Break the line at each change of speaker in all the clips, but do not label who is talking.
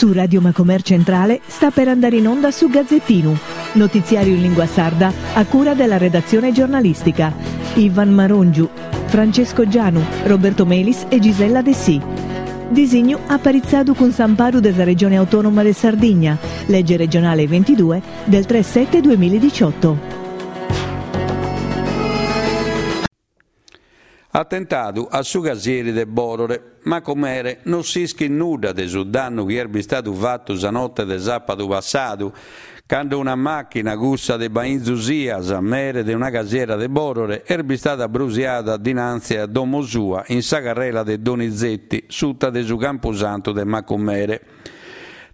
Su Radio Macomer Centrale sta per andare in onda su Gazzettinu, notiziario in lingua sarda a cura della redazione giornalistica. Ivan Marongiu, Francesco Gianu, Roberto Melis e Gisella Dessì. Disignu aparitzadu cun s'amparu de sa Regione Autonoma de Sardigna, lege regionale 22 del 3 7 2018.
Atentadu a su casieri de Bòrore. Macumere, no s'ischit nudda de su dannu chi est bistadu fatu sa note de sàpadu passadu, cando una màchina, cussa de Bainzu Sias, mere de una casiera de Bòrore, est bistada brusiada dinanzi a domo sua in sa carrela de Donizetti, suta de su campusantu de Macumere.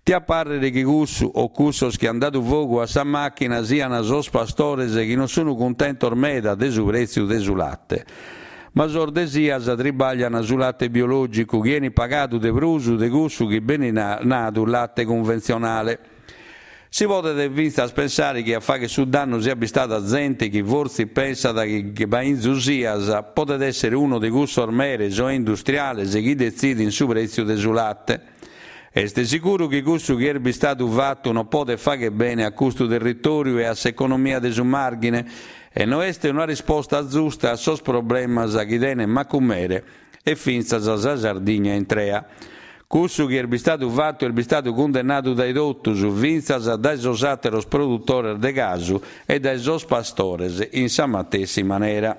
Tiat pàrrere chi cussu o cussos chi an dadu fogu a sa màchina sian sos pastores chi non sun cuntentos meda de su prètziu de su late. Ma sos de Sias tribaglian su late biològicu chi 'enit pagadu de prus de cussu chi benit nadu late cunventzionale. Si podet fintzas pensare chi a fagher su dannu siat bistada zente chi fortzis pensat chi Bainzu Sias podet èssere unu de cussos meres o industriales chi detzidin su prètziu de su late. Est sicuru chi cussu chi est bistadu fatu non podet fagher bene a custu territòriu e a s'economia de su Màrghine e no est una risposta zusta a sos problemas chi tenet Macumere e fintzas sa Sardigna intrea. Cussu chi est bistadu fatu est bistadu cundennadu dae totus, fintzas dae sos àteros produtores de casu e dae sos pastores in sa matessi manera.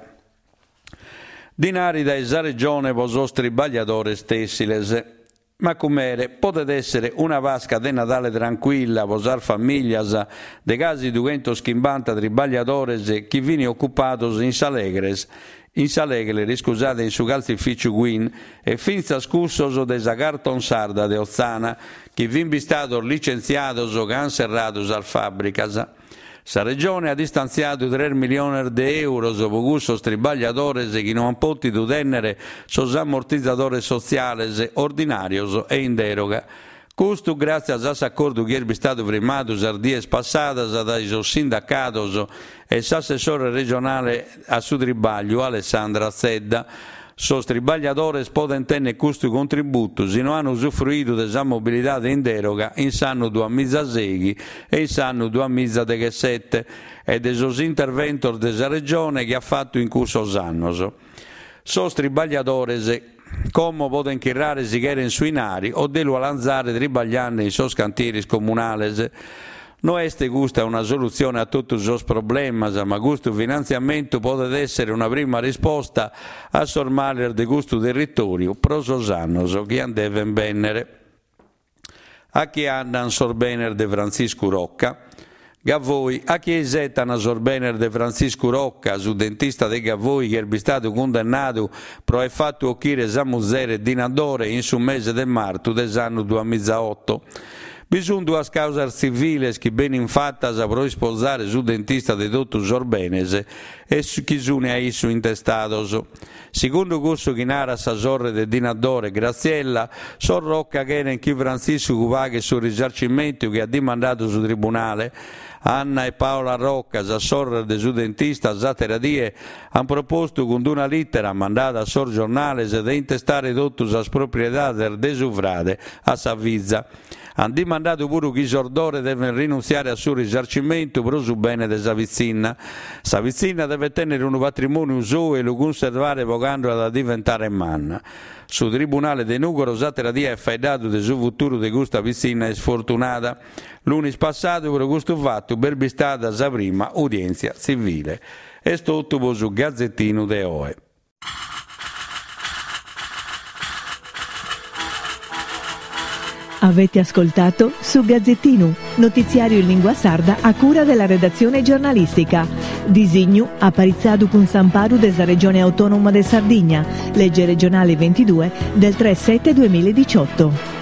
Dinari dae sa Regione pro sos tribagliadores tèssiles. Macumere, podet èssere una Pasca de Nadale trancuilla pro sas famìlias de casi dughentoschimbanta tribagliadores chi fin ocupados in sa Legres, in sa Legler, iscusade, in su calzificiu Queen e fintzas cussos de sa Carton Sarda de Otzana chi fin bistados licentziados ca an serradu sas fàbricas. Sa Regione at istantziadu tres miliones de euros pro cussos tribagliadores chi no ant pòtidu tènnere sos ammortizadores sotziales ordinàrios e in dèroga. Custu gràtzias a s'acordu chi est bistadu frimmadu sas dies passadas dae sos sindacados e s'assessore regionale a su tribagliu Alessandra Zedda. Sos tribagliadores podent tènnere custu contributu si no an usufruidu de sa mobilidade in dèroga in s'annu duamizaseighi e in s'annu duamizadeghessete e de sos interventos de sa Regione chi at fatu in cussos annos. Sos tribagliadores como podent chirrare si cherent su 'inari o de lu 'alanzare tribagliande in sos cantieris comunales. No est custa una solutzione a totu sos problemas, ma custu finantziamentu podet èssere una prima risposta a sos males de custu territòriu pro sos annos chi an devent bènnere. A chie andan sos benes de Frantziscu Rocca? Gavoi, a chie isetan sos benes de Frantziscu Rocca, su dentista de Gavoi chi est bistadu cundennadu pro aer fatu ochire sa muzere Dina Dore in su mese de martu de s'annu duamizaoto. Bi sunt duas càusas tziviles chi benint fatas pro ispozare su dentista de totu sos benes e chi sunt a issu intestados. Segundu cussu chi narat sa sorre de Dina Dore, Graziella, sos Rocca cherent chi Frantziscu paghet su risarcimentu chi at dimandadu su tribunale. Anna e Paola Rocca, sas sorres de su dentista, s'àtera die ant propostu cun una lìtera mandada a sos giornales de intestare totu sas propriedades de su frade a sa fiza. Ant dimandadu puru chi sos Dore devent rinuntziare a su risarcimentu pro su bene de sa pitzinna. Sa pitzinna devet tènnere unu patrimòniu sou e lu cunservare pro cando at a diventare manna. Su Tribunale de Nùgoro s'àtera die at faeddadu de su futuru de custa pitzinna isfortunada. Lunis passadu pro custu fatu b'est bistada sa prima udièntzia tzivile. Est totu pro su Gazetinu de oe.
Avete ascoltato Su Gazzettinu, notiziario in lingua sarda a cura della redazione giornalistica. Disignu aparitzadu cun s'amparu de sa Regione Autonoma de Sardigna, legge regionale 22 del 3 7 2018.